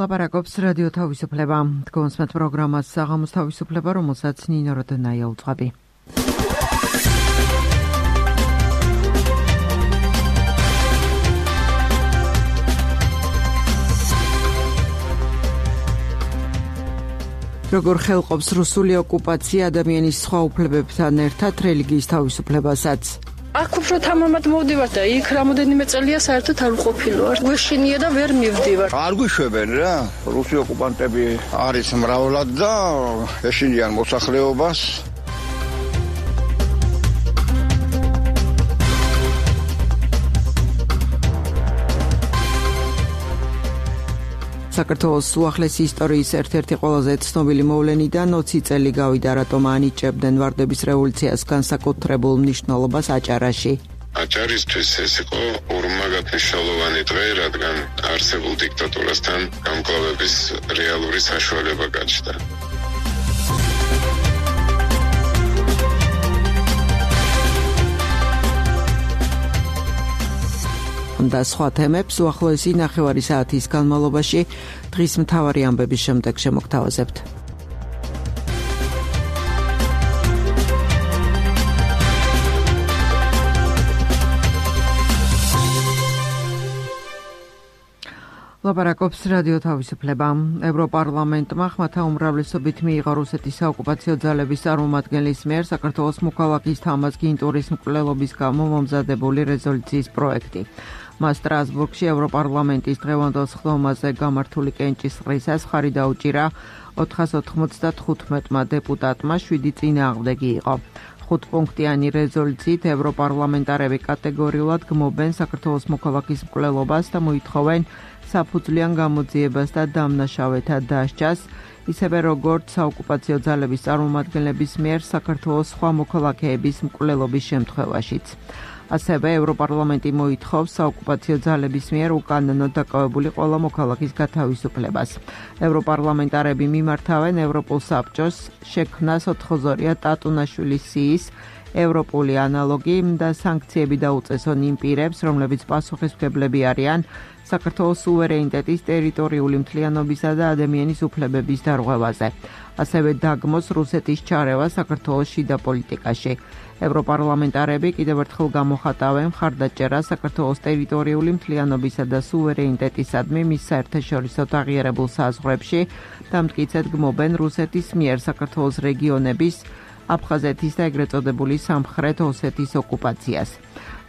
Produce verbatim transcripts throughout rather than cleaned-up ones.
ლაპარაკობს რადიო თავისუფლება. Თქვენს მათ პროგრამას საღამოს თავისუფლება, რომელსაც ნინო როდენაია უძღვები. როგორ ხელყოფს რუსული ოკუპაცია ადამიანის სხვა უფლებებთან ერთად რელიგიის თავისუფლებასაც? აქ უფრო თამამად მოვდივარ და იქ რამოდენიმე წელია საერთოდ არ ვყოფილვარ. გვეშინია და ვერ მივდივარ. არ გვიშვებენ რა. რუსი ოკუპანტები არის მრავლად და ეშინიან მოსახლეობას. საქართველოს უახლესი ისტორიის ერთ-ერთი ყველაზე ცნობილი მოვლენიდან ოცი წელი გავიდა, რატომ ანიჭებდნენ ვარდების რევოლუციას განსაკუთრებულ მნიშვნელობას აჭარაში. აჭარისთვის ეს იყო ორმაგად მნიშვნელოვანი დღე, რადგან არსებულ დიქტატურასთან გამკლავების რეალური საშუალება გაჩნდა. და სხვა თემებს უახლოესი ნახევარი საათის განმავლობაში დღის მთავარი ამბების შემდეგ შემოგთავაზებთ. ლაპარაკობს რადიო თავისუფლება. ევროპარლამენტმა ხმათა უმრავლესობით მიიღო რუსეთის საოკუპაციო ძალების წარმომადგენლის მიერ საქართველოს მოქალაქის თამაზ გინტურის მკვლელობის გამო მომზადებული რეზოლუციის პროექტი. მას სტრასბურგში ევროპარლამენტის დღევანდელ სხდომაზე გამართული კენჭისყრისას ხარი დაუჭირა ოთხას ოთხმოცდათხუთმეტმა დეპუტატმა, შვიდი წინააღმდეგი იყო. ხუთპუნქტიანი რეზოლუციით ევროპარლამენტარები კატეგორიულად გმობენ საქართველოს მოქალაქის მკვლელობას და მოითხოვენ საფუძვლიან გამოძიებას და დამნაშავეთა დასჯას, ისევე როგორც საოკუპაციო ძალების წარმომადგენლების მიერ საქართველოს სხვა მოქალაქეების მკვლელობის შემთხვევაშიც. ასევე ევროპარლამენტი მოითხოვს საოკუპაციო ძალების მიერ უკანონოდ დაკავებული ყველა მოქალაქის გათავისუფლებას. ევროპარლამენტარები მიმართავენ ევროპულ საბჭოს შექმნას ოთხოზორია ტატუნაშვილის სიის ევროპული ანალოგი და სანქციები დაუწესონ იმ პირებს, რომლებიც პასუხისმგებლები არიან საქართველოს სუვერენიტეტის, ტერიტორიული მთლიანობისა და ადამიანის უფლებების დარღვევაზე. ასევე დაგმოს რუსეთის ჩარევა საქართველოს შიდა პოლიტიკაში. ევროპარლამენტარები კიდევ ერთხელ გამოხატავენ მხარდაჭერას საქართველოს ტერიტორიული მთლიანობისა და სუვერენიტეტისადმი მის საერთაშორისო აღიარებულ საზღვრებში და მტკიცედ გმობენ რუსეთის მიერ საქართველოს რეგიონების, აფხაზეთის და ეგრეთ წოდებული სამხრეთ ოსეთის ოკუპაციას.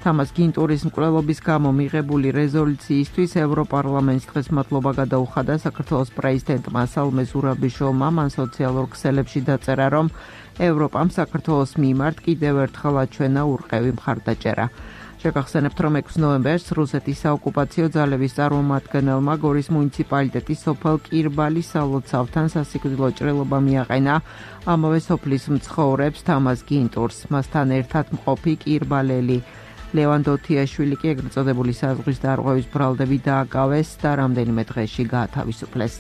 თამაზ გინტურის მკვლელობის გამო მიღებული რეზოლუციისთვის ევროპარლამენტს დღეს მადლობა გადაუხადა საქართველოს პრეზიდენტმა სალომე ზურაბიშვილმა. მან სოციალურ ქსელებში დაწერა, რომ ევროპამ საქართველოს მიმართ კიდევ ერთხელ აჩვენა ურყევი მხარდაჭერა. შეგახსენებთ, რომ ექვსი ნოემბერს რუსეთის საოკუპაციო ძალების წარმომადგენელმა გორის მუნიციპალიტეტის სოფელ კირბალის სალოცავთან სასიკვდილო ჭრილობა მიაყენა ამავე სოფლის მცხოვრებს თამაზ გინტურს. მასთან ერთად მყოფი კირბალელი ლევან დოთიაშვილი კი ეგრეთ წოდებული საზღვრის დარღვევის ბრალდები დააკავეს და რამდენიმე დღეში გაათავისუფლეს.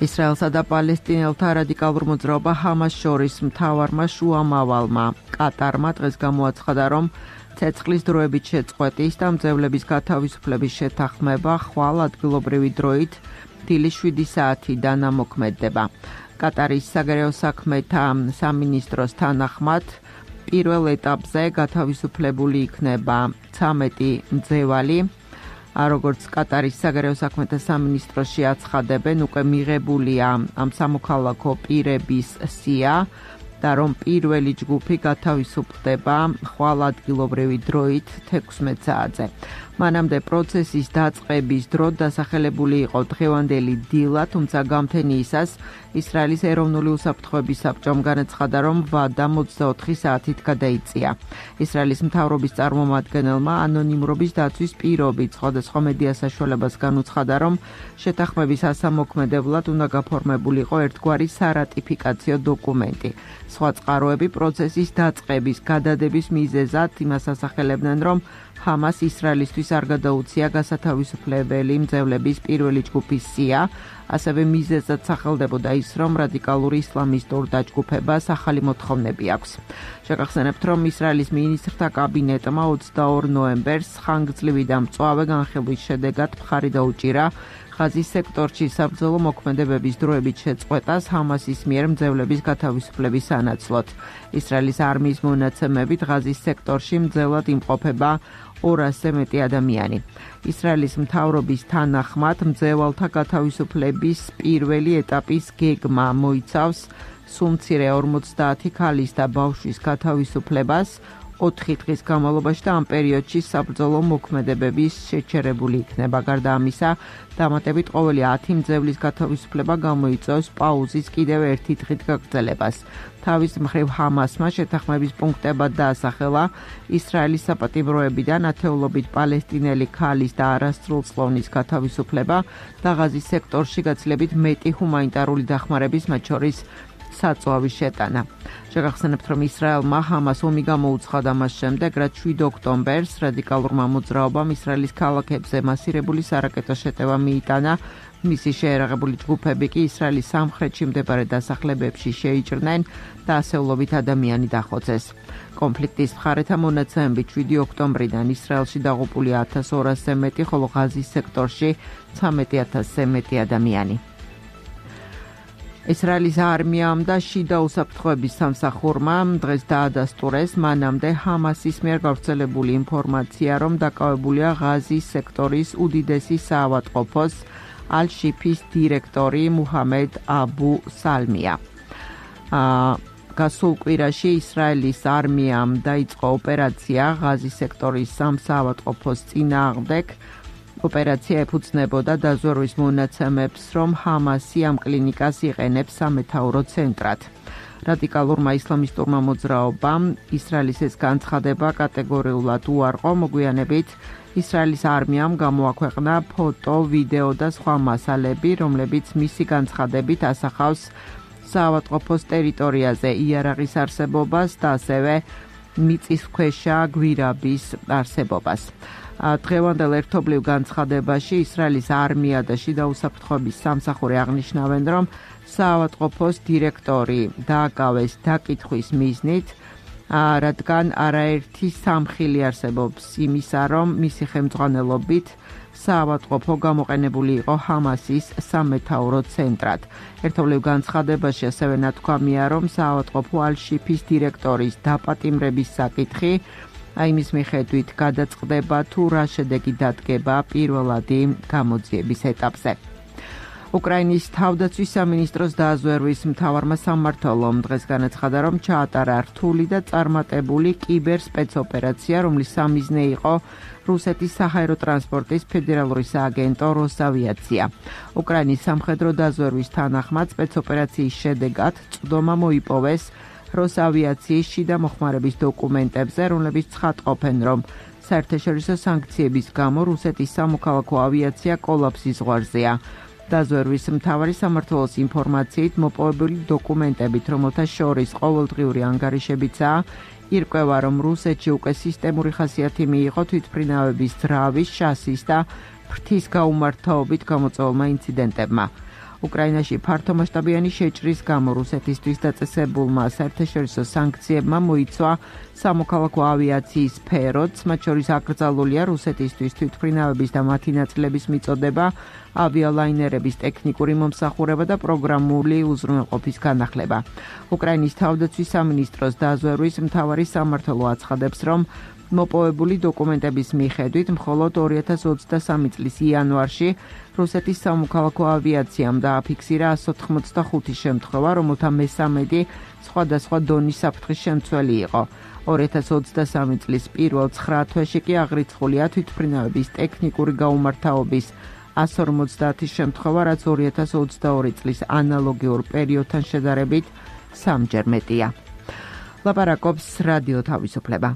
ისრაელსა და პალესტინელთა რადიკალურ მოძრაობა ჰამას შორის მთავარმა შუამავალმა კატარმა დღეს გამოაცხადა, რომ ცეცხლის დროებით შეწყვეტის და მძევლების გათავისუფლების შეთანხმება ხვალ ადგილობრივი დროით დილის შვიდი საათიდან ამოქმედდება. კატარის საგარეო საქმეთა სამინისტროს თანახმად პირველ ეტაპზე გათავისუფლებული იქნება ცამეტი მძევალი. როგორც კატარის საგარეო საქმეთა სამინისტროში აცხადებენ, უკვე მიღებულია ამ სამოქალაქო პირების სია და რომ პირველი ჯგუფი გათავისუფლდება ხვალ ადგილობრივი დროით თექვსმეტ საათზე. მანამდე პროცესის დაწყების დრო დასახელებული იყო დღევანდელი დილა, თუმცა გამთენიისას ისრაელის ეროვნული უსაფრთხოების საბჭომ განაცხადა, რომ ვადა ოცდაოთხი საათით გადაიწია. ისრაელის მთავრობის წარმომადგენელმა ანონიმურობის დაცვის პირობით სხვადასხვა მედია საშუალებას განუცხადა, რომ შეთანხმების ასამოქმედებლად უნდა გაფორმებულიყო ერთგვარი სარატიფიკაციო დოკუმენტი. სხვა წყაროები პროცესის დაწყების გადადების მიზეზად იმას ასახელებდნენ, რომ ჰამას ისრაელისთვის არ გადაუცია გასათავისუფლებელი მძევლების პირველი ჯგუფის სია, ასევე მიზეზად სახელდებოდა ის, რომ რადიკალური ისლამისტურ დაჯგუფებას ახალი მოთხოვნები აქვს. შეგახსენებთ, რომ ისრაელის მინისტრთა კაბინეტმა ოცდაორ ნოემბერს ხანგრძლივი და მწვავე განხილვის შედეგად მხარი დაუჭირა ღაზის სექტორში საბრძოლო მოქმედებების დროებით შეწყვეტას ჰამასის მიერ მძევლების გათავისუფლების სანაცვლოდ. ისრაელის არმიის მონაცემებით ღაზის სექტორში მძევლად იმყოფება ორასზე მეტი ადამიანი. ისრაელის მთავრობის თანახმად მძევალთა გათავისუფლების პირველი ეტაპის გეგმა მოიცავს სულ მცირე ორმოცდაათი ქალის და ბავშვის გათავისუფლებას ოთხი დღის განმავლობაში და ამ პერიოდში საბრძოლო მოქმედებების შეჩერებული იქნება. გარდა ამისა, დამატებით ყოველი ათი მძევლის გათავისუფლება გამოიწვევს პაუზის კიდევ ერთი დღით გაგრძელებას. თავის მხრივ ჰამასმა შეთანხმების პუნქტებად დაასახელა ისრაელის საპატიმროებიდან ათეულობით პალესტინელი ქალის და არასრულწლოვნის გათავისუფლება და ღაზის სექტორში გაცილებით მეტი ჰუმანიტარული დახმარების, მათ შორის საწვავის შეტანა. შეგახსენებთ, რომ ისრაელმა ჰამას ომი გამოუცხადა მას შემდეგ, რაც შვიდ ოქტომბერს რადიკალურმა მოძრაობამ ისრაელის ქალაქებზე მასირებული სარაკეტო შეტევა მიიტანა. მისი შეერაღებული ჯგუფები კი ისრაელის სამხრეთში მდებარე დასახლებებში შეიჭრნენ და ასეულობით ადამიანი დახოცეს. კონფლიქტის მხარეთა მონაცემებით შვიდი ოქტომბრიდან ისრაელში დაღუპული ათას ორასზე მეტი, ხოლო ღაზის სექტორში ცხრამეტი ათასზე მეტი ადამიანი. ისრაელის არმიამ და შიდა უსაფრთხოების სამსახურმა დღეს დაადასტურეს მანამდე ჰამასის მიერ გავრცელებული ინფორმაცია, რომ დაკავებულია ღაზის სექტორის უდიდესი საავადმყოფოს ალ-შიფის დირექტორი მუჰამედ აბუ სალმია. გასულ კვირაში ისრაელის არმიამ დაიწყო ოპერაცია ღაზის სექტორის სამ საავადმყოფოს წინააღმდეგ. ოპერაცია ეფუძნებოდა დაზვერვის მონაცემებს, რომ ჰამასი ამ კლინიკას იყენებს სამეთაურო ცენტრად. რადიკალურმა ისლამისტურმა მოძრაობამ ისრაელის ეს განცხადება კატეგორიულად უარყო, მოგვიანებით ისრაელის არმიამ გამოაქვეყნა ფოტო, ვიდეო და სხვა მასალები, რომლებიც მისი განცხადებით ასახავს საავადმყოფოს ტერიტორიაზე იარაღის არსებობას და ასევე მიწისქვეშა გვირაბის არსებობას. დღევანდელ ერთობლივ განცხადებაში ისრაელის არმია და შიდა უსაფრთხოების სამსახური აღნიშნავენ, რომ საავადმყოფოს დირექტორი დააკავეს დაკითხვის მიზნით, რადგან არაერთი სამხილი არსებობს იმისა, რომ მისი ხელმძღვანელობით საავადმყოფო გამოყენებული იყო ჰამასის სამეთაურო ცენტრად. ერთობლივ განცხადებაში ასევე ნათქვამია, რომ საავადმყოფო ალ-შიფის დირექტორის დაპატიმრების საკითხი აიმის მიხედვით გადაწყდება თუ რა შედეგი დადგება პირველადი გამოძიების ეტაპზე. უკრაინის თავდაცვის სამინისტროს დაზვერვის მთავარმა სამმართველომ დღეს განაცხადა, რომ ჩაატარა რთული და წარმატებული კიბერ სპეცოპერაცია, რომლის სამიზნე იყო რუსეთის საჰაერო ტრანსპორტის ფედერალური სააგენტო როსავიაცია. უკრაინის სამხედრო დაზვერვის თანახმად სპეცოპერაციის შედეგად წვდომა მოიპოვეს როსავიაციის შიდა მოხმარების დოკუმენტებზე, რომლებიც ცხადყოფენ, რომ საერთაშორისო სანქციების გამო რუსეთის სამოქალაქო ავიაცია კოლაფსის ზღვარზეა. დაზვერვის მთავარი სამმართველოს ინფორმაციით მოპოვებული დოკუმენტებით, რომელთა შორის ყოველდღიური ანგარიშებიცაა, ირკვევა, რომ რუსეთში უკვე სისტემური ხასიათი მიიღო თვითმფრინავების ძრავის, შასის და ფრთის გაუმართავობით გამოწვეულმა ინციდენტებმა. უკრაინაში ფართომასშტაბიანი შეჭრის გამო რუსეთისთვის დაწესებულმა საერთაშორისო სანქციებმა მოიცვა სამოქალაქო ავიაციის სფეროც, მათ შორის აკრძალულია რუსეთისთვის თვითმფრინავების და მათი ნაწილების მიწოდება, ავიალაინერების ტექნიკური მომსახურება და პროგრამული უზრუნველყოფის განახლება. უკრაინის თავდაცვის სამინისტროს დაზვერვის მთავარი სამმართველო აცხადებს, რომ მოპოვებული დოკუმენტების მიხედვით მხოლოდ ორი ათას ოცდასამი წლის იანვარში რუსეთის სამოქალაქო ავიაციამ დააფიქსირა ასი ოთხმოცდახუთი შემთხვევა, რომელთა მესამედი სხვადასხვა დონის საფრთხის შემცველი იყო. ორი ათას ოცდასამი წლის პირველ ცხრა თვეში კი აღრიცხულია თვითმფრინავების ტექნიკური გაუმართავობის ასი ორმოცდაათი შემთხვევა, რაც ორი ათას ოცდაორი წლის ანალოგიურ პერიოდთან შედარებით სამჯერ მეტია. ლაპარაკობს რადიო თავისუფლება.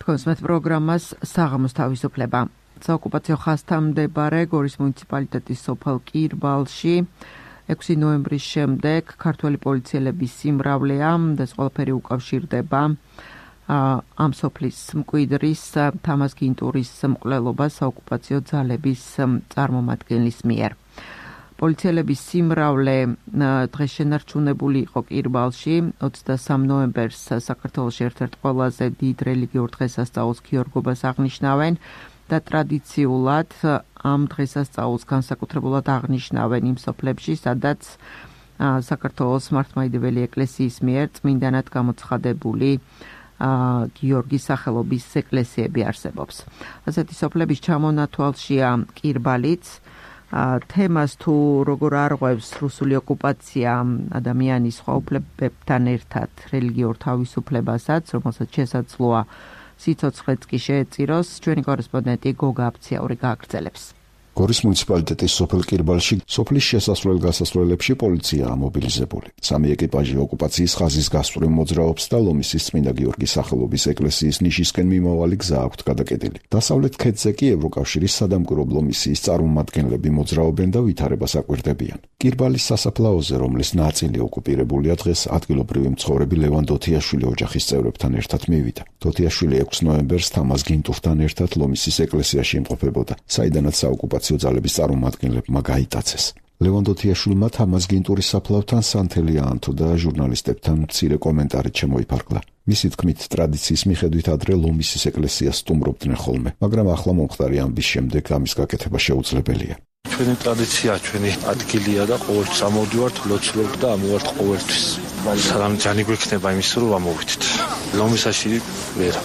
თქვენს პროგრამას საღამოს თავისუფლება. საოკუპაციო ხაზთან მდებარე გორის მუნიციპალიტეტის სოფელ კირბალში ექვსი ნოემბრის შემდეგ ქართველი პოლიციელების სიმრავლეა და ეს ყველაფერი უკავშირდება ამ სოფლის მკვიდრის თამაზ გინტურის მკვლელობას საოკუპაციო ძალების წარმომადგენლის მიერ. პოლიციელების სიმრავლე დღეს შენარჩუნებული იყო კირბალში, ოცდასამ ნოემბერს საქართველოში ერთ-ერთ ყველაზე დიდ რელიგიურ დღესასწაულს ქიორგობას აღნიშნავენ და ტრადიციულად ამ დღესასწაულს განსაკუთრებულად აღნიშნავენ იმ სოფლებში, სადაც საქართველოს მართლმადიდებელი ეკლესიის მიერ წმინდანად გამოცხადებული გიორგის სახელობის ეკლესიები არსებობს. ასეთი სოფლების ჩამონათვალშია კირბალიც. თემას თუ როგორ არღვევს რუსული ოკუპაცია ადამიანის სხვა უფლებებთან ერთად რელიგიურ თავისუფლებასაც, რომელსაც შესაძლოა სიცოცხლეც კი შეეწიროს, ჩვენი კორესპონდენტი გოგა აფციაური გააგრძელებს. გორის მუნიციპალიტეტის სოფელ კირბალში სოფლის შესასვლელ-გასასვლელებში პოლიციაა მობილიზებული. სამი ეკიპაჟი ოკუპაციის ხაზის გასწვრივ მოძრაობს და ლომისის წმინდა გიორგის სახელობის ეკლესიის ნიშისკენ მიმავალი გზა აქვთ გადაკეტილი. დასავლეთ ქედზე კი ევროკავშირის სადამკვირვებლო მისიის წარმომადგენლები მოძრაობენ და ვითარებას აკვირდებიან. კირბალის სასაფლაოზე, რომლის ნაწილი ოკუპირებულია, დღეს ადგილობრივი მცხოვრები ლევან დოთიაშვილი ოჯახის წევრებთან ერთად მივიდა. დოთიაშვილი ექვსი ნოემბერს თამაზ გინტურთან ერთად ლომისის ეკლესიაში იმყოფებოდა, საიდანაც საოკუპაციო ძალების წარმომადგენლებმა გაიტაცეს. ლევან დოთიაშვილმა თამაზ გინტურის საფლავთან სანთელი აანთო და ჟურნალისტებთან მცირე კომენტარით შემოიფარგლა. მისი თქმით, ტრადიციის მიხედვით ადრე ლომისის ეკლესიას სტუმრობდნენ ხოლმე, მაგრამ ახლა მომხდარი ამბის შემდეგ ამის გაკეთება შეუძლებელია. ჩვენი ტრადიცია, ჩვენი ადგილია და ყოველთვის ამოვდივართ, ლოცულობთ და ამოვართ ყოველთვის. სალამ ჯანი გვექნება იმის რომ ამოვიდეთ. ლომისაში ვერ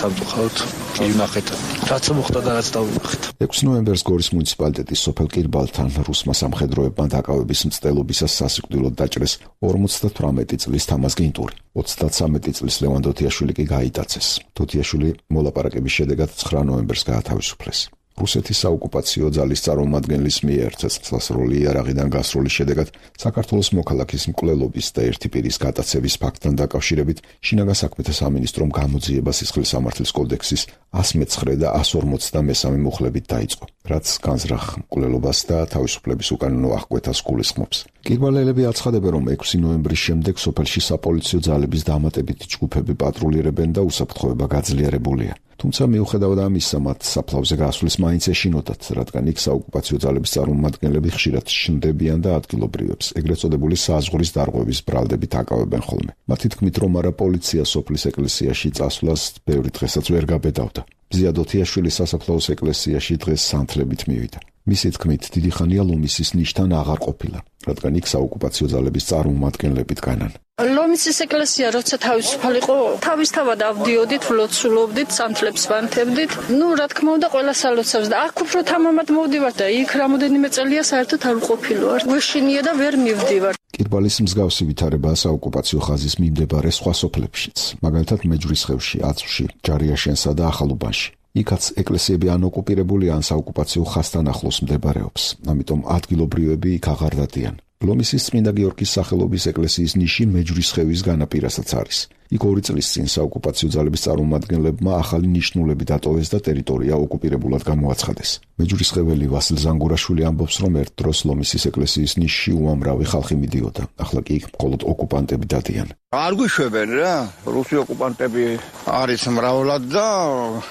სამწუხაროდ კი ვნახეთ. რაც მოხდა და რაც დავინახეთ. ექვსი ნოემბერს გორის მუნიციპალიტეტის სოფელ კირბალთან რუსმა სამხედროებმა დაკავების მცდელობისას სასიკვდილოდ დაჭრეს ორმოცდათვრამეტი წლის თამაზ გინტური. ოცდათვრამეტი წლის ლევან დოთიაშვილი კი გაიტაცეს. დოთიაშვილი მოლაპარაკების შედეგად ცხრა ნოემბერს გაათავისუფლეს. რუსეთის საოკუპაციო ძალის წარმომადგენლის მიერ ცეცხლსასროლი იარაღიდან გასროლის შედეგად საქართველოს მოქალაქის მკვლელობის და ერთი პირის გატაცების ფაქტთან დაკავშირებით შინაგან საქმეთა სამინისტრომ გამოძიება სისხლის სამართლის კოდექსის ასი მეცხრე და ასი ორმოცდამესამე მუხლებით დაიწყო, რაც განზრახ მკვლელობას და თავისუფლების უკანონო აღკვეთას გულისხმობს. კირბალელები აცხადებენ, რომ ექვსი ნოემბრის შემდეგ სოფელში საპოლიციო ძალების დამატებითი ჯგუფები პატრულირებენ და უსაფრთხოება გაძლიერებულია. თუმცა მიუხედავად ამისა, მათ საფლავზე გასვლის მაინც ეშინოდათ, რადგან იქ საოკუპაციო ძალების წარმომადგენლები ხშირად ჩნდებიან და ადგილობრივებს ეგრეთ წოდებული საზღვრის დარღვევის ბრალდებით აკავებენ ხოლმე. მათი თქმით, რომ არა პოლიცია სოფლის ეკლესიაში წასვლას ბევრი დღესაც ვერ გაბედავდა. ბზია დოთიაშვილის სასაფლაოს ეკლესიაში დღეს სანთლებით მივიდა. მისი თქმით, დიდი ხანია ლომისის ნიშთან აღარ ყოფილა, რადგან იქ საოკუპაციო ძალების წარმომადგენლები დგანან. ლომისის ეკლესია როცა თავისუფალი იყო, თავისთავად ავდიოდით, ვლოცულობდით, სანთლებს ვანთებდით. ნუ რა თქმა უნდა, ყველა სალოცავს და აქ უფრო თამამად მოვდივარ და იქ რამოდენიმე წელია საერთოდ არ ვყოფილვარ. გვეშინია და ვერ მივდივარ. კირბალის მსგავსი ვითარებაა საოკუპაციო ხაზის მიმდებარე სხვა სოფლებშიც, მაგალითად მეჯვრისხევში, აწვში, ჯარიაშენსა და ახალუბანში. იქაც ეკლესიები ან ოკუპირებული, ან საოკუპაციო ხაზთან ახლოს მდებარეობს, ამიტომ ადგილობრივები იქ აღარ დადიან. ლომისის წმინდა გიორგის სახელობის ეკლესიის ნიში მეჯვრისხევის განაპირასაც არის. იქ ორი წლის წინ საოკუპაციო ძალების წარმომადგენლებმა ახალი ნიშნულები დატოვეს და ტერიტორია ოკუპირებულად გამოაცხადეს. მეჯვრისხეველი ვასილ ზანგურაშვილი ამბობს, რომ ერთ დროს ლომისის ეკლესიის ნიშში უამრავი ხალხი მიდიოდა, ახლა კი იქ მხოლოდ ოკუპანტები დადიან. არ გვიშვებენ რა, რუსი ოკუპანტები არის მრავლად და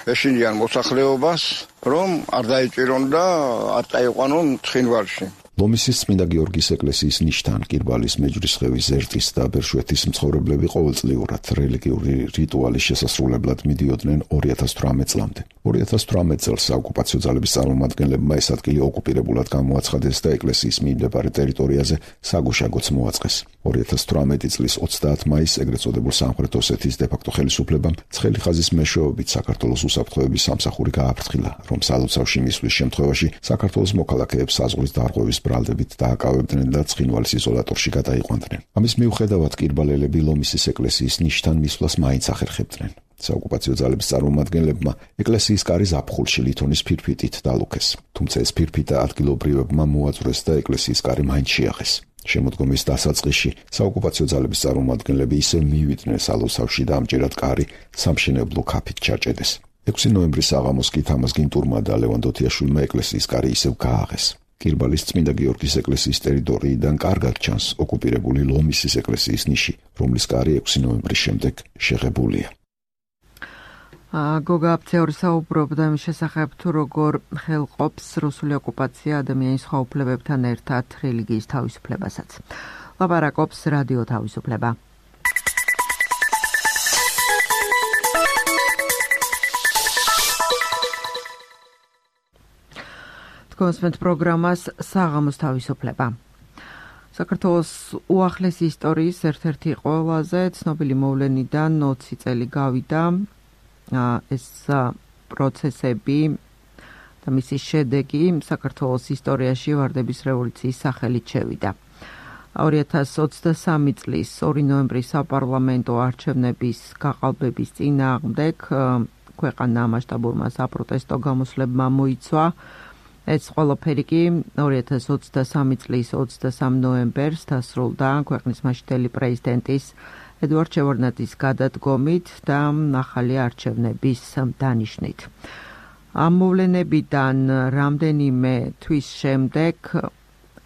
ეშინიან მოსახლეობას, რომ არ დაიჭირონ და არ წაიყვანონ ცხინვალში. ლომისის წმინდა გიორგის ეკლესიის ნიშთან კირბალის მეჯვრისხევის ზერტის და ბერშვეთის მცხოვრებლები ყოველწლიურად რელიგიური რიტუალის შესასრულებლად მიდიოდნენ ორი ათას თვრამეტ წლამდე. ორი ათას თვრამეტ წელს საოკუპაციო ძალების წარმომადგენლებმა ეს ადგილი ოკუპირებულად გამოაცხადეს და ეკლესიის მიმდებარე ტერიტორიაზე საგუშაგოც მოაწყეს. ორი ათას თვრამეტი წლის ოცდაათი მაისს ეგრეთ წოდებულ სამხრეთ ოსეთის დე-ფაქტო ხელისუფლებამ ცხელი ხაზის მეშვეობით საქართველოს უსაფრთხოების სამსახური გააფრთხილა, რომ სალოცავში მისვლის შემთხვევაში საქართველოს მოქალაქეებს საზღვრის დარღვევის ბრალდებით დააკავებდნენ და ცხინვალის იზოლატორში გადაიყვანდნენ. ამის მიუხედავად კირბალელები ლომისის ეკლესიის ნიშთან მისვლას მაინც ახერხებდნენ. საოკუპაციო ძალების წარმომადგენლებმა ეკლესიის კარი ზაფხულში ლითონის ფირფიტით დალუქეს, თუმცა ეს ფირფიტა ადგილობრივებმა მოაწვრეს და ეკლესიის კარი მაინც შეაღეს. შემოდგომის დასაწყისში საოკუპაციო ძალების წარმომადგენლები ისევ მივიდნენ სალოცავში და ამჯერად კარი სამშენებლო ქაფით ჩაჭედეს. ექვსი ნოემბრის საღამოს კი თამაზ გინტურმა და ლევან დოთიაშვილმა ეკლესიის კარი ისევ გააღეს. კირბალის წმინდა გიორგის ეკლესიის ტერიტორიიდან კარგად ჩანს ოკუპირებული ლომისის ეკლესიის ნიში, რომლის კარი ექვსი ნოემბრის შემდეგ შეღებულია. გოგა აფცეორი საუბრობდა იმის შესახებ, თუ როგორ ხელყოფს რუსული ოკუპაცია ადამიანის სხვა უფლებებთან ერთად რელიგიის თავისუფლებასაც. ლაპარაკობს რადიო თავისუფლება. კონსპენთ პროგრამას საღამოს თავისუფლება. საქართველოს უახლესი ისტორიის ერთ-ერთი ყველაზე ცნობილი მოვლენიდან ოცი წელი გავიდა. ეს პროცესები და მისი შედეგი საქართველოს ისტორიაში ვარდების რევოლუციის სახელით შევიდა. ორი ათას ოცდასამი წლის ორი ნოემბრის საპარლამენტო არჩევნების გაყალბების წინააღმდეგ ქვეყანა მასშტაბურმა საპროტესტო გამოსვლებმა მოიცვა. ეს ყველაფერი კი ორი ათას ოცდასამი წლის ოცდასამ ნოემბერს დასრულდა ქვეყნის მაშინდელი პრეზიდენტის ედუარდ შევარდნაძის გადადგომით და ახალი არჩევნების დანიშნით. ამ მოვლენებიდან რამდენიმე თვის შემდეგ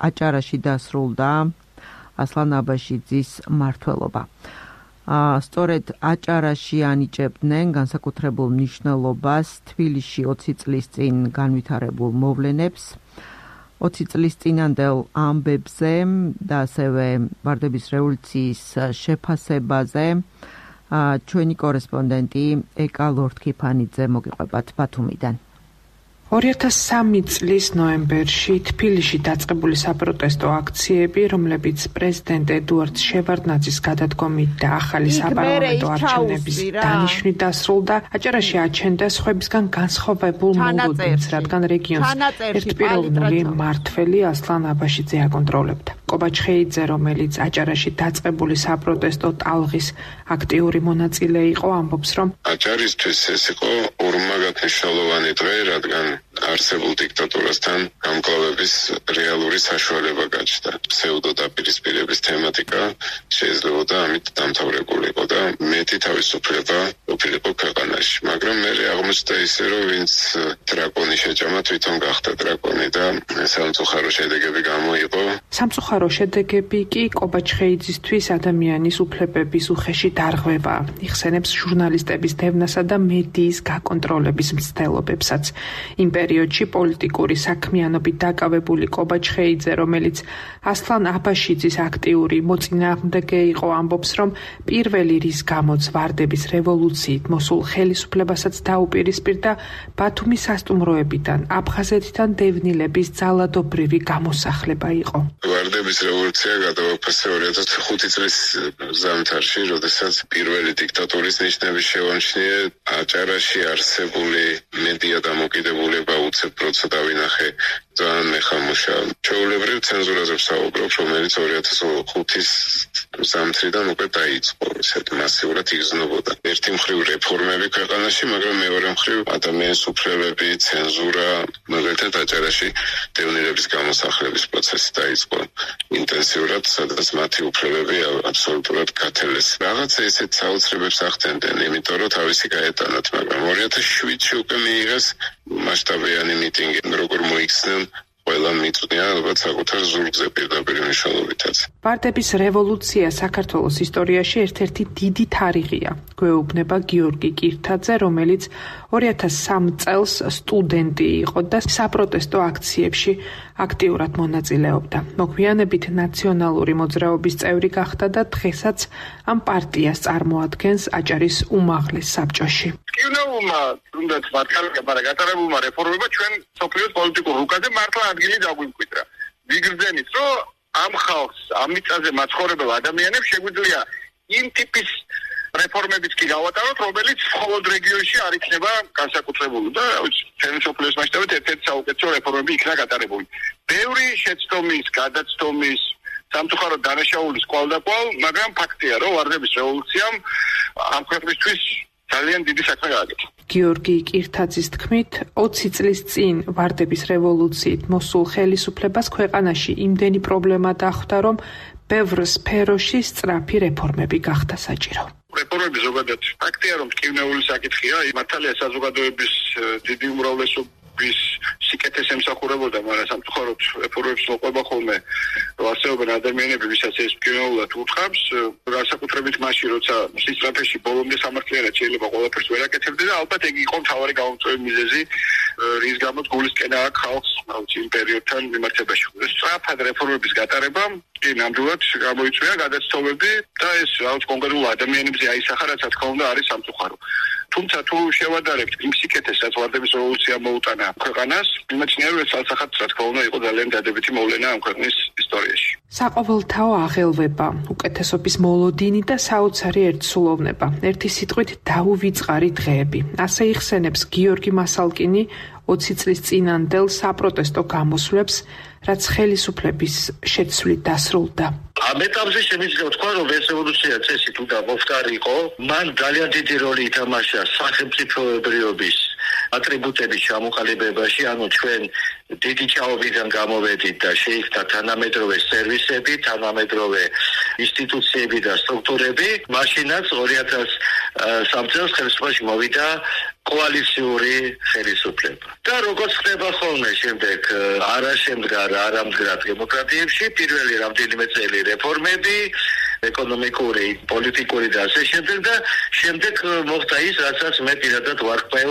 აჭარაში დასრულდა ასლან აბაშიძის მმართველობა. სწორედ აჭარაში ანიჭებდნენ განსაკუთრებულ მნიშვნელობას თბილისში ოცი წლის წინ განვითარებულ მოვლენებს, ოცი წლის წინანდელ ამბებზე და ასევე ვარდების რევოლუციის შეფასებაზე ჩვენი კორესპონდენტი ეკა ლორთქიფანიძე მოგიყვებათ ბათუმიდან. ორი ათას სამი წლის ნოემბერში თბილისში დაწყებული საპროტესტო აქციები, რომლებიც პრეზიდენტ ედუარდ შევარდნაძის გადადგომით და ახალი საპარლამენტო არჩევნების დანიშვნით დასრულდა, აჭარაში აჩენდა სხვებისგან განსხვავებულ მოლოდინს, რადგან რეგიონს ერთპიროვნული მმართველი ასლან აბაშიძე აკონტროლებდა. კობაჩხეიძე, რომელიც აჭარაში დაწყებული საპროტესტო ტალღის აქტიური მონაწილე იყო, ამბობს, რომ აჭარისთვის ეს იყო ორმაგათნიშნულოვანი დღე, რადგან არსებულ დიქტატურასთან გამკლავების რეალური საშუალება გაჩნდა. ფსევდო დაპირისპირების თემატიკა შეიძლებოდა ამით დამთავრებულიყო და მეტი თავისუფლება ყოფილიყო ქვეყანაში. მაგრამ მე აღმოჩნდა ისე, რომ ვინც დრაკონი შეჭამა, თვითონ გახდა დრაკონი და სამწუხარო შედეგები გამოიყო. სამწუხარო შედეგები კი კობაჩხეიძისთვის ადამიანის უფლებების უხეში დარღვევა, იხსენებს ჟურნალისტების დევნასა და მედიის გაკონტროლების მცდელობებსაც. იმ პერიოდში პოლიტიკური საქმიანობით დაკავებული კობაჩხეიძე, რომელიც ასლან აბაშიძის აქტიური მოწინააღმდეგე იყო, ამბობს, რომ პირველი რის გამოც ვარდების რევოლუციით მოსულ ხელისუფლებასაც დაუპირისპირდა ბათუმის სასტუმროებიდან, აფხაზეთიდან დევნილების ძალადობრივი გამოსახლება იყო. ვარდების რევოლუცია გადაუფასე ორი ათას ხუთი წლის ზამთარში, როდესაც პირველი დიქტატურის ნიშნები შევამჩნიე, აჭარაში არსებული მედია დამოკიდებულება უცებ პროცესად დავინახე ძალიან მეხამუშა. ჩვეულებრივ ცენზურაზე ვსაუბრობ, რომელიც ორი ათას ხუთის ზამთრიდან უკვე დაიწყო, ესეთ მასიურად იგრძნობოდა. ერთი მხრივ რეფორმები ქვეყანაში, მაგრამ მეორე მხრივ ადამიანის უფლებები, ცენზურა, მაგალითად აჭარაში დევნილების გამოსახლების პროცესი დაიწყო ინტენსიურად, სადაც მათი უფლებები აბსოლუტურად გათელეს. რაღაცა ესეთ საოცრებებს ახდენდნენ, იმიტომ რომ თავისი გაეტანათ, მაგრამ ორი ათას შვიდში უკვე მიიღეს მასშტაბიანი მიტინგი, როგორ მოიქცნენ ყველა მიწვია ალბათ საკუთარ ზურგზე პირდაპირ მნიშვნელობითაც. ვარდების რევოლუცია საქართველოს ისტორიაში ერთ-ერთი დიდი თარიღია. გვეუბნება გიორგი კირთაძე, რომელიც ორი ათას სამ წელს სტუდენტი იყო და საპროტესტო აქციებში აქტიურად მონაწილეობდა. მოგვიანებით ნაციონალური მოძრაობის წევრი გახდა და დღესაც ამ პარტიას წარმოადგენს აჭარის უმაღლეს საბჭოში. კინოულმა თუნდაც მართალია, მაგრამ გატარებულმა რეფორმებმა ჩვენ სოფლიოს პოლიტიკურ რუკაზე მართლა ადგილი დაგვიმკვიდრა. ვიგრძენით, რომ ამ ხალხს, ამ მიწაზე მაცხოვრებელ ადამიანებს შეგვიძლია იმ ტიპის რეფორმებიც კი გავატაროთ, რომელიც მხოლოდ რეგიონში არ იქნება განსაკუთრებული და ჩვენი სოფლიოს მასშტაბით ერთ-ერთი საუკეთესო რეფორმები იქნა გატარებული. ბევრი შეცდომის, გადაცდომის, სამწუხაროდ დანაშაულის კვალდაკვალ, მაგრამ ფაქტია, რომ ვარდების რევოლუციამ ამ ქვეყნისთვის ძალიან დიდი საქმე გააკეთა. გიორგი კირთაძის თქმით, ოცი წლის წინ ვარდების რევოლუციით მოსულ ხელისუფლებას ქვეყანაში იმდენი პრობლემა დახვდა, რომ ბევრ სფეროში სწრაფი რეფორმები გახდა საჭირო. რეფორმები ზოგადად ფაქტია, რომ ტკივნეული საკითხია, მართალია საზოგადოების დიდი უმრავლესობის სიკეთეს ემსახურებოდა, მაგრამ სამწუხაროდ რეფორმებს მოყვება ხოლმე ასეობენ ადამიანები, ვისაც ეს პირველად უთხავს, განსაკუთრებით მაშინ, როცა სისწრაფეში ბოლომდე სამართლიანად შეიძლება ყველაფერს ვერ აკეთებდე და ალბათ ეგ იყო მთავარი გამომწვევი მიზეზი, რის გამოც გულისკენა აქვს ხალხს იმ პერიოდთან მიმართებაში. სწრაფად რეფორმების გატარება კი ნამდვილად გამოიწვია გადაცდომები და ეს რაღაც კონკრეტულ ადამიანებზე აისახა, რაც რა თქმა უნდა არის სამწუხარო. თუმცა თუ შევადარებთ იმ სიკეთეს, რაც ვარდების რევოლუცია მოუტანა ქვეყანას, იმეცნია რომ ეს ალსახად რა თქმა უნდა იყო ძალიან დადებითი მოვლენა ამ ქვეყნის ისტორიაში. საყოველთაო აღელვება, უკეთესობის მოლოდინი და საოცარი ერთსულოვნება, ერთი სიტყვით დაუვიწყარი დღეები. ასე იხსენებს გიორგი მასალკინი ოცი წლის წინანდელ საპროტესტო გამოსვლებს, რაც ხელისუფლების შეცვლით დასრულდა. ამ ეტაპზე შემიძლია ვთქვა, რომ ეს რევოლუცია წესით უნდა მოვხდარიყო, მან ძალიან დიდი როლი ითამაშა სახელმწიფოებრიობის ატრიბუტების ჩამოყალიბებაში, ანუ ჩვენ დიდი ჭაობიდან გამოვედით და შეიქმნა თანამედროვე სერვისები, თანამედროვე ინსტიტუციები და სტრუქტურები. მაშინაც ორი ათას სამ წელს ხელისუფლებაში მოვიდა კოალიციური ხელისუფლება. და როგორც ხდება ხოლმე შემდეგ არა შემდგარ, არა მდგრად დემოკრატიებში, პირველი რამდენიმე წელი რეფორმები, ეკონომიკური, პოლიტიკური და ასე შემდეგ და შემდეგ მოხდა ის, რასაც მე პირადად ვარკვევ,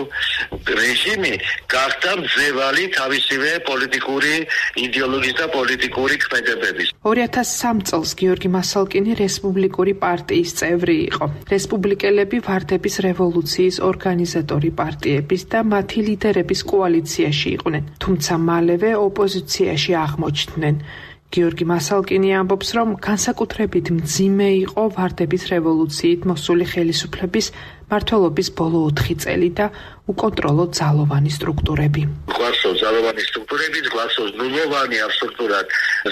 რეჟიმი გახდა მძევალი თავისივე პოლიტიკური იდეოლოგიის და პოლიტიკური ქმედებების. ორი ათას სამ წელს გიორგი მასალკინი რესპუბლიკური პარტიის წევრი იყო. რესპუბლიკელები ვარდების რევოლუციის ორგანიზატორი პარტიების და მათი ლიდერების კოალიციაში იყვნენ, თუმცა მალევე ოპოზიციაში აღმოჩნდნენ. გიორგი მასალკინი ამბობს, რომ განსაკუთრებით მძიმე იყო ვარდების რევოლუციით მოსული ხელისუფლების მმართველობის ბოლო ოთხი წელი და უკონტროლო ძალოვანი სტრუქტურები. გვახსოვს ძალოვანი სტრუქტურები, გვახსოვს ნულოვანი აბსოლუტურად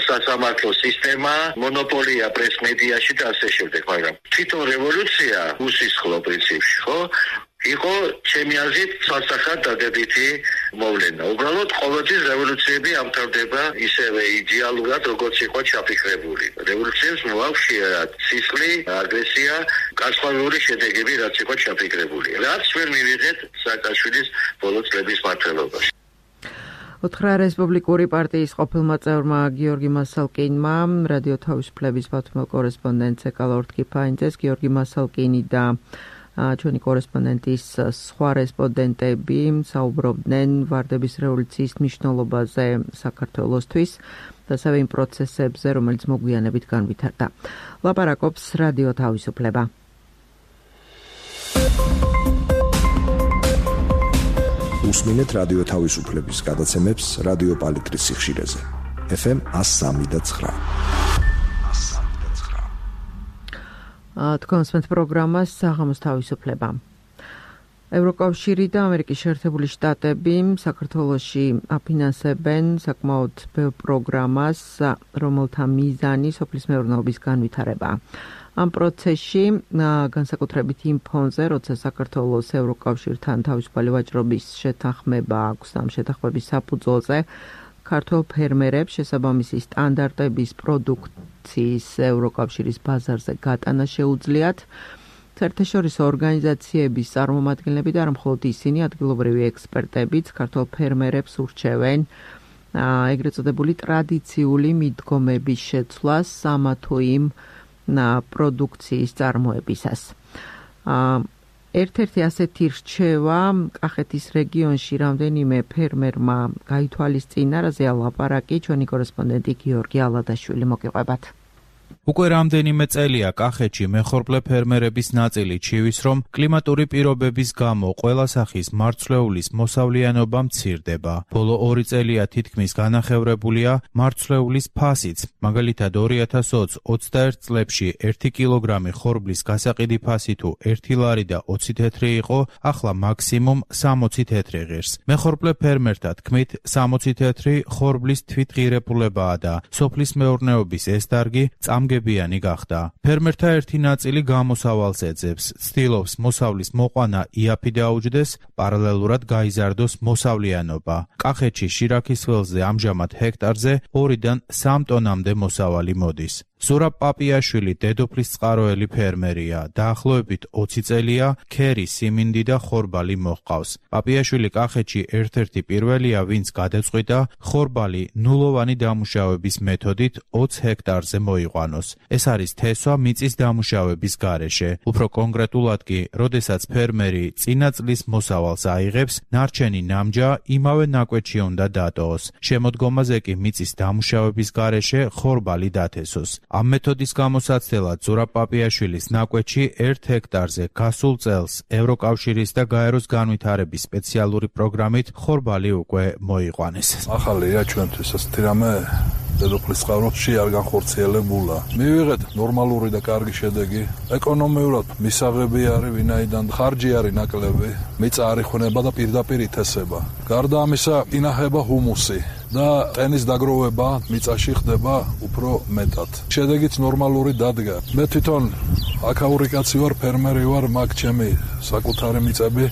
სასამართლო სისტემა, მონოპოლია პრეს-მედიაში და ასე შემდეგ, მაგრამ თვითონ რევოლუცია უსისხლო პრინციპში, ხო? იყო ჩემი აზრით სასახად დადებითი მოვლენა. უბრალოდ ყოველთვის რევოლუციები ამთავრდება ისევე იდეალურად, როგორც იყო ჩაფიქრებული. რევოლუციებს მოაქვს ხშირად სისხლი, აგრესია, კასპარული შედეგები, რაც იყო ჩაფიქრებული. რაც ვერ მივიღეთ სააკაშვილის ბოლო წლების მმართველობაში. უთხრა რესპუბლიკური პარტიის ყოფილმა წევრმა გიორგი მასალკინმა რადიო თავისუფლების ბათუმელ კორესპონდენტს ეკალორდ კიფაინძეს. გიორგი მასალკინი და ჩვენი კორესპონდენტის სხვა რესპონდენტები საუბრობდნენ ვარდების რევოლუციის მნიშვნელობაზე საქართველოსთვის და ასევე იმ პროცესებზე, რომელიც მოგვიანებით განვითარდა. ლაპარაკობს რადიო თავისუფლება. უსმინეთ რადიო თავისუფლების გადაცემებს რადიო პალიტრის სიხშირეზე. ეფ ემ one oh three point nine. თქვენს პროგრამას საღამოს თავისუფლება. ევროკავშირი და ამერიკის შეერთებული შტატები საქართველოში აფინანსებენ საკმაოდ ბევრ პროგრამას, რომელთა მიზანი სოფლის მეურნეობის განვითარებაა. ამ პროცესში განსაკუთრებით იმ ფონზე, როცა საქართველოს ევროკავშირთან თავისუფალი ვაჭრობის შეთანხმება აქვს ამ შეთანხმების საფუძველზე, ქართველ ფერმერებს შესაბამისი სტანდარტების პროდუქციის ევროკავშირის ბაზარზე გატანა შეუძლიათ. საერთაშორისო ორგანიზაციების წარმომადგენლები და არა მხოლოდ ისინი, ადგილობრივი ექსპერტებიც ქართველ ფერმერებს ურჩევენ ეგრეთ წოდებული ტრადიციული მიდგომების შეცვლას ამა თუ იმ პროდუქციის წარმოებისას. ერთ-ერთი ასეთი რჩევა კახეთის რეგიონში რამდენიმე ფერმერმა გაითვალისწინა, რაზეა ლაპარაკი, ჩვენი კორესპონდენტი გიორგი ალადაშვილი მოგიყვებათ. უკვე რამდენიმე წელია კახეთში მეხორბლე ფერმერების ნაწილი ჩივის, რომ კლიმატური პირობების გამო ყველა სახის მარცვლეულის მოსავლიანობა მცირდება. ბოლო ორი წელია თითქმის განახევრებულია მარცვლეულის ფასიც. მაგალითად ორი ათას ოცი ოცდაერთ წლებში ერთი კილოგრამი ხორბლის გასაყიდი ფასი თუ ერთი ლარი და ოცი თეთრი იყო, ახლა მაქსიმუმ სამოცი თეთრი ღირს. მეხორბლე ფერმერთა თქმით, სამოცი თეთრი ხორბლის თვითღირებულებაა და სოფლის მეურნეობის ეს დარგი წამგებიანი გახდა. ფერმერთა ერთი ნაწილი გამოსავალს ეძებს, ცდილობს მოსავლის მოყვანა იაფი დაუჯდეს, პარალელურად გაიზარდოს მოსავლიანობა. კახეთში შირაქის ველზე ამჟამად ჰექტარზე ორიდან სამ ტონამდე მოსავალი მოდის. ზურაბ პაპიაშვილი დედოფლის წყაროელი ფერმერია. დაახლოებით ოცი წელია ქერი, სიმინდი და ხორბალი მოჰყავს. პაპიაშვილი კახეთში ერთ-ერთი პირველია, ვინც გადაწყვიტა ხორბალი ნულოვანი დამუშავების მეთოდით ოცი ჰექტარზე მოიყვანოს. ეს არის თესვა მიწის დამუშავების გარეშე. უფრო კონკრეტულად კი, როდესაც ფერმერი წინა წლის მოსავალს აიღებს, ნარჩენი ნამჯა იმავე ნაკვეთში უნდა დატოვოს. შემოდგომაზე კი მიწის დამუშავების გარეშე ხორბალი დათესოს. ამ მეთოდის გამოსაცდელად ზურაბ პაპიაშვილის ნაკვეთში ერთ ჰექტარზე გასულ წელს ევროკავშირის და გაეროს განვითარების სპეციალური პროგრამით ხორბალი უკვე მოიყვანეს. ახალია ჩვენთვის ეს თირამე დედოფლის წყაროში არ განხორციელებულა. მივიღეთ ნორმალური და კარგი შედეგი. ეკონომიურად მისაღები არის, ვინაიდან ხარჯი არის ნაკლები, მიწა არ იხუნება და პირდაპირ ითესება. გარდა ამისა, ინახება ჰუმუსი და ტენის დაგროვება მიწაში ხდება უფრო მეტად. შედეგიც ნორმალური დადგა. მე თვითონ აქაური კაცი ვარ, ფერმერი ვარ, მაგ ჩემი საკუთარი მიწები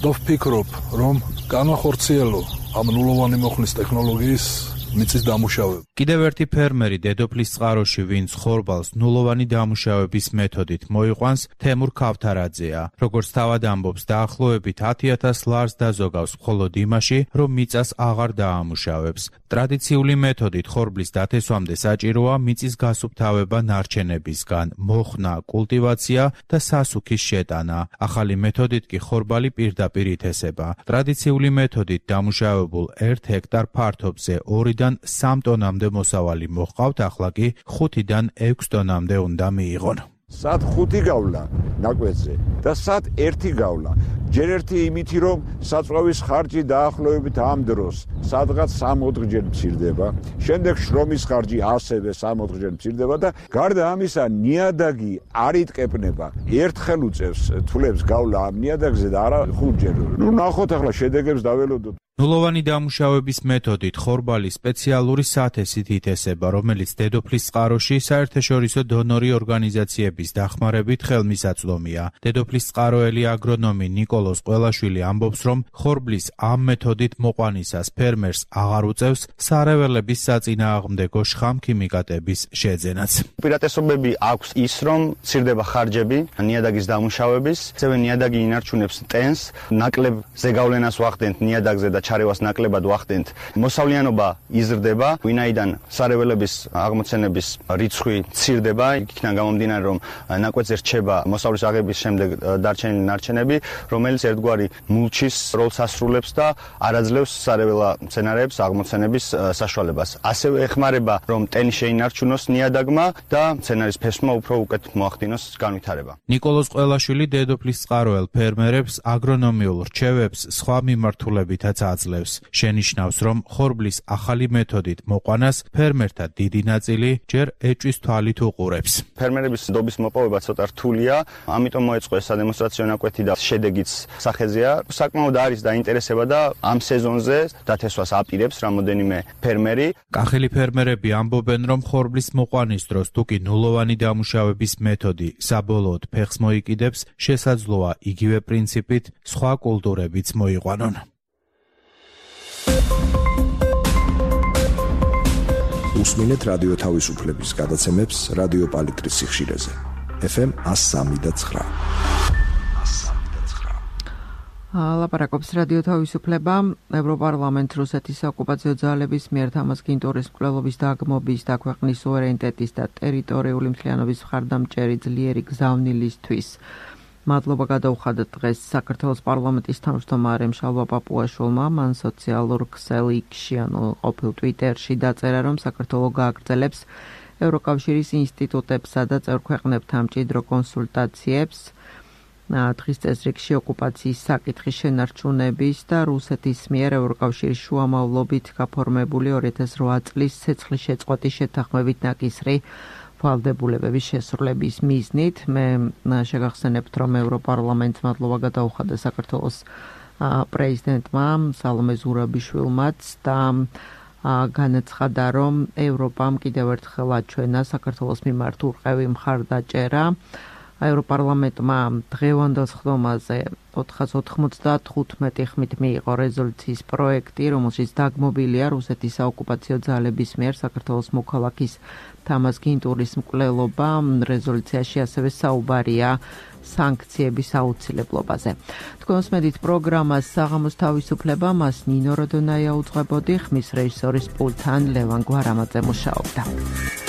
და ვფიქრობ, რომ განახორციელო ამ ნულოვანი მოხლის ტექნოლოგიის მიწის დამუშავება. კიდევ ერთი ფერმერი დედოფლის წყაროში, ვინც ხორბალს ნულოვანი დამუშავების მეთოდით მოიყვანს, თემურ ქავთარაძეა. როგორც თავად ამბობს, დაახლოებით ათი ათას ლარს დაზოგავს მხოლოდ იმაში, რომ მიწას აღარ დაამუშავებს. ტრადიციული მეთოდით ხორბლის დათესვამდე საჭიროა მიწის გასუფთავება ნარჩენებისგან, მოხნა, კულტივაცია და სასუქის შეტანა. ახალი მეთოდით კი ხორბალი პირდაპირ ითესება. ტრადიციული მეთოდით დამუშავებულ ერთ ჰექტარ ფართობზე ორი სამ ტონამდე მოსავალი მოჰყავთ, ახლა კი ხუთიდან ექვს ტონამდე უნდა მიიღონ. სად ხუთი გავლა ნაკვეთზე და სად ერთი გავლა. ჯერ ერთი იმითი, რომ საწვავის ხარჯი დაახლოებით ამ დროს სადღაც სამოთხჯერ მცირდება, შემდეგ შრომის ხარჯი ასევე სამოთხჯერ მცირდება და გარდა ამისა ნიადაგი არ იტკეპნება. ერთხელ უწევს თვლებს გავლა ამ ნიადაგზე და არა ხუთჯერ. ნუ ნახოთ ახლა შედეგებს დაველოდოთ. ნულოვანი დამუშავების მეთოდით ხორბალი სპეციალური სათესით ითესება, რომელიც დედოფლის წყაროში საერთაშორისო დონორი ორგანიზაციების დახმარებით ხელმისაწვდომია. დედოფლის წყაროელი აგრონომი ნიკოლოზ ყველაშვილი ამბობს, რომ ხორბლის ამ მეთოდით მოყვანისას ფერმერს აღარ უწევს სარეველების საწინააღმდეგო შხამქიმიკატების შეძენაც. უპირატესობები აქვს ის, რომ მცირდება ხარჯები ნიადაგის დამუშავების, ასევე ნიადაგი ინარჩუნებს ტენს, ნაკლებ ზეგავლენას ვახდენთ ნიადაგზე და ჩარევას ნაკლებად ვახდენთ. მოსავლიანობა იზრდება, ვინაიდან სარეველების აღმოცენების რიცხვი მცირდება, იქიდან გამომდინარე, რომ ნაკვეთზე რჩება მოსავლის აღების შემდეგ დარჩენილი ნარჩენები, რომელიც ერთგვარი მულჩის როლს ასრულებს და არაძლევს სარეველა მცენარეებს აღმოცენების საშუალებას. ასევე ეხმარება, რომ ტენი შეინარჩუნოს ნიადაგმა და მცენარის ფესვმა უფრო უკეთ მოახდინოს განვითარება. ნიკოლოზ ყველაშვილი დედოფლის წყაროელ ფერმერებს აგრონომიულ რჩევებს სხვა მიმართულებითაც აძლევს. შენიშნავს, რომ ხორბლის ახალი მეთოდით მოყვანას ფერმერთა დიდი ნაწილი ჯერ ეჭვის თვალით უყურებს. ფერმერების ნდობის მოპოვება ცოტა რთულია, ამიტომ მოეწყო ეს სადემონსტრაციო ნაკვეთი და შედეგიც სახეზეა. საკმაოდ არის დაინტერესება და ამ სეზონზე დათესვას აპირებს რამოდენიმე ფერმერი. კახელი ფერმერები ამბობენ, რომ ხორბლის მოყვანის დროს თუკი ნულოვანი დამუშავების მეთოდი საბოლოოდ ფეხს მოიკიდებს, შესაძლოა იგივე პრინციპით სხვა კულტურებიც მოიყვანონ. უსმინეთ რადიო თავისუფლების გადაცემებს რადიო პალიტრის სიხშირეზე. ეფ ემ εκατო სამი და ცხრა. ლაპარაკობს რადიო თავისუფლება. ევროპარლამენტ რუსეთის ოკუპაციო ძალების მიერ თამაზ-გინტურის მკვლელობის დაგმობის და ქვეყნის სუვერენიტეტის და ტერიტორიული მთლიანობის მხარდამჭერი ძლიერი გზავნილისთვის მადლობა გადაუხადა დღეს საქართველოს პარლამენტის თავმჯდომარემ შალვა პაპუაშვილმა. მან სოციალურ ქსელში, ანუ ყოფილ ტვიტერში დაწერა, რომ საქართველო გააგრძელებს ევროკავშირის ინსტიტუტებსა და წევრ ქვეყნებთან მჭიდრო კონსულტაციებს დღის წესრიგში ოკუპაციის საკითხის შენარჩუნების და რუსეთის მიერ ევროკავშირის შუამავლობით გაფორმებული ორი ათას რვა წლის ცეცხლის შეწყვეტის შეთანხმებით ნაკისრი ვალდებულებების შესრულების მიზნით. მე შეგახსენებთ, რომ ევროპარლამენტს მადლობა გადაუხადა საქართველოს პრეზიდენტმა სალომე ზურაბიშვილმაც და განაცხადა, რომ ევროპამ კიდევ ერთხელ აჩვენა საქართველოს მიმართ ურყევი მხარდაჭერა ევროპარლამენტმა დღევანდელ სხდომაზე ოთხას ოთხმოცდათხუთმეტი ხმით მიიღო რეზოლუციის პროექტი, რომელშიც დაგმობილია რუსეთის საოკუპაციო ძალების მიერ საქართველოს მოქალაქის თამაზ გინტურის მკვლელობა. რეზოლუციაში ასევე საუბარია სანქციების აუცილებლობაზე. თქვენს მედით პროგრამას საღამოს თავისუფლება, მას ნინო როდონაია უძღვებოდი, ხმის რეჟისორის პულტთან ლევან გვარამაძე მუშაობდა.